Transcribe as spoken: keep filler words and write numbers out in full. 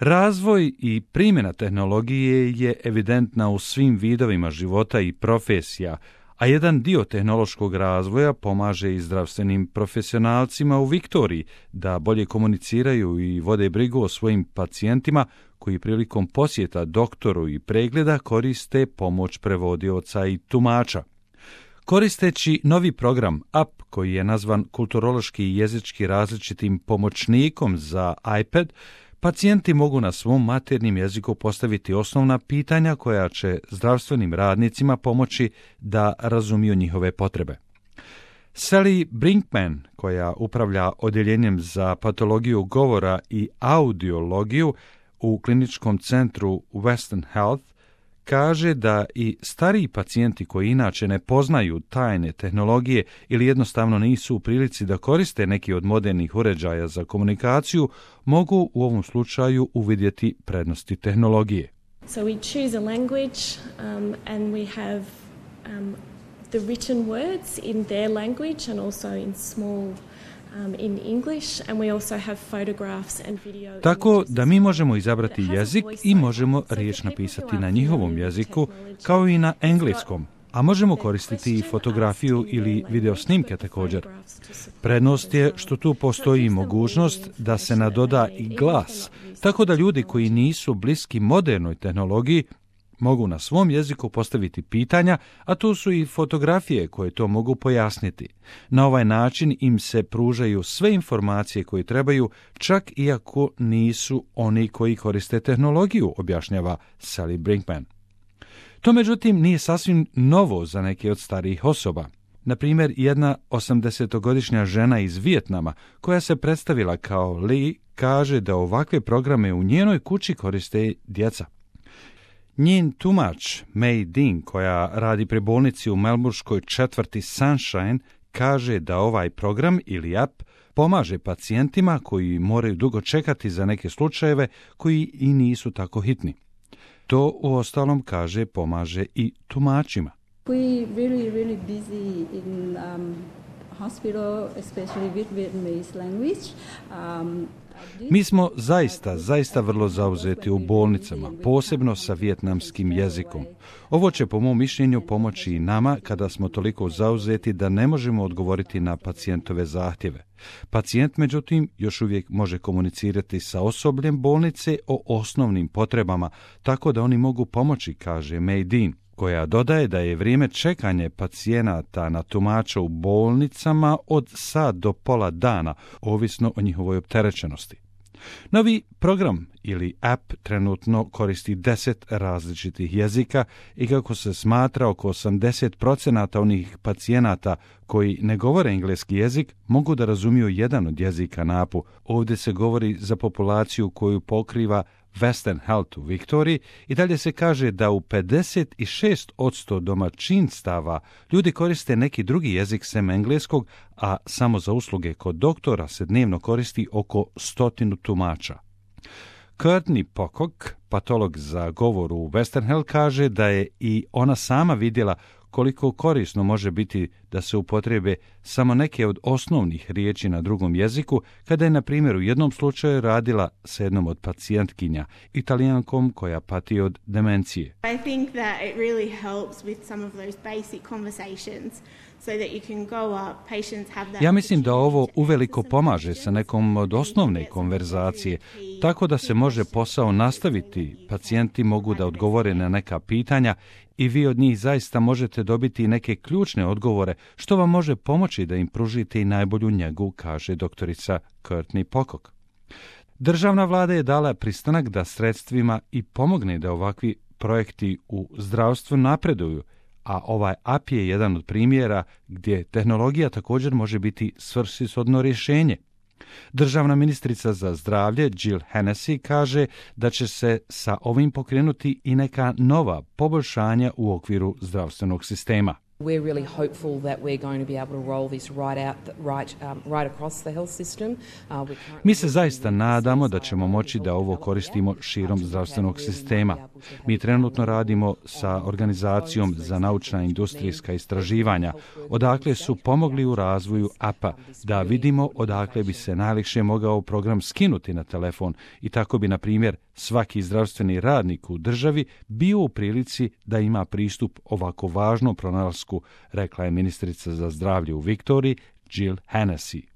Razvoj i primjena tehnologije je evidentna u svim vidovima života i profesija, a jedan dio tehnološkog razvoja pomaže i zdravstvenim profesionalcima u Viktoriji da bolje komuniciraju i vode brigu o svojim pacijentima koji prilikom posjeta doktoru i pregleda koriste pomoć prevodioca i tumača. Koristeći novi program app koji je nazvan kulturološki i jezički različitim pomoćnikom za iPad, pacijenti mogu na svom maternjem jeziku postaviti osnovna pitanja koja će zdravstvenim radnicima pomoći da razumiju njihove potrebe. Sally Brinkman, koja upravlja odjeljenjem za patologiju govora i audiologiju u kliničkom centru Western Health, kaže da i stariji pacijenti koji inače ne poznaju tajne tehnologije ili jednostavno nisu u prilici da koriste neki od modernih uređaja za komunikaciju, mogu u ovom slučaju uvidjeti prednosti tehnologije. So we choose a language um, and we have um, the written words in their language and also in small in English, and we also have photographs and video. Tako da mi možemo izabrati jezik i možemo riječ napisati na njihovom jeziku kao i na engleskom, a možemo koristiti i fotografiju ili video snimke također. Prednost je što tu postoji mogućnost da se nadoda i glas, tako da ljudi koji nisu bliski modernoj tehnologiji mogu na svom jeziku postaviti pitanja, a tu su i fotografije koje to mogu pojasniti. Na ovaj način im se pružaju sve informacije koje trebaju, čak iako nisu oni koji koriste tehnologiju, objašnjava Sally Brinkman. To međutim nije sasvim novo za neke od starijih osoba. Na primjer, jedna osamdesetogodišnja žena iz Vijetnama, koja se predstavila kao Lee, kaže da ovakve programe u njenoj kući koriste djeca. Njen tumač, May Dean, koja radi pri bolnici u melburškoj četvrti Sunshine, kaže da ovaj program ili app pomaže pacijentima koji moraju dugo čekati za neke slučajeve koji i nisu tako hitni. To uostalom, kaže, pomaže i tumačima. We really, really busy in um, hospital, especially with Vietnamese language. Um, Mi smo zaista, zaista vrlo zauzeti u bolnicama, posebno sa vijetnamskim jezikom. Ovo će po mom mišljenju pomoći i nama kada smo toliko zauzeti da ne možemo odgovoriti na pacijentove zahtjeve. Pacijent, međutim, još uvijek može komunicirati sa osobljem bolnice o osnovnim potrebama, tako da oni mogu pomoći, kaže May Dean, koja dodaje da je vrijeme čekanja pacijenata na tumača u bolnicama od sat do pola dana, ovisno o njihovoj opterećenosti. Novi program ili app trenutno koristi deset različitih jezika i kako se smatra oko osamdeset posto onih pacijenata koji ne govore engleski jezik mogu da razumiju jedan od jezika na appu. Ovdje se govori za populaciju koju pokriva Western Health u Viktoriji i dalje se kaže da u pedeset šest posto domaćinstava ljudi koriste neki drugi jezik sem engleskog, a samo za usluge kod doktora se dnevno koristi oko stotinu tumača. Courtney Pocock, patolog za govor u Western Health, kaže da je i ona sama vidjela koliko korisno može biti da se upotrebe samo neke od osnovnih riječi na drugom jeziku, kada je, na primjer, u jednom slučaju radila sa jednom od pacijentkinja, Italijankom koja pati od demencije. I think that it really helps with some of those basic conversations. So that you can go up, patients have that. Ja mislim da ovo uveliko pomaže sa nekom od osnovne konverzacije, tako da se može posao nastaviti, pacijenti mogu da odgovore na neka pitanja i vi od njih zaista možete dobiti neke ključne odgovore, što vam može pomoći da im pružite i najbolju njegu, kaže doktorica Courtney Pocock. Državna vlada je dala pristanak da sredstvima i pomogne da ovakvi projekti u zdravstvu napreduju, a ovaj app je jedan od primjera gdje tehnologija također može biti svrsishodno rješenje. Državna ministrica za zdravlje Jill Hennessy kaže da će se sa ovim pokrenuti i neka nova poboljšanja u okviru zdravstvenog sistema. We're really hopeful that we're going to be able to roll this right out, right, um, right across the health system. Uh, Mi se zaista nadamo da ćemo moći da ovo koristimo širom zdravstvenog sistema. Mi trenutno radimo sa Organizacijom za naučna i industrijska istraživanja, odakle su pomogli u razvoju apa, da vidimo odakle bi se najlakše mogao program skinuti na telefon i tako bi, na primjer, svaki zdravstveni radnik u državi bio u prilici da ima pristup ovako važnom pronalasku, rekla je ministrica za zdravlje u Viktoriji Jill Hennessy.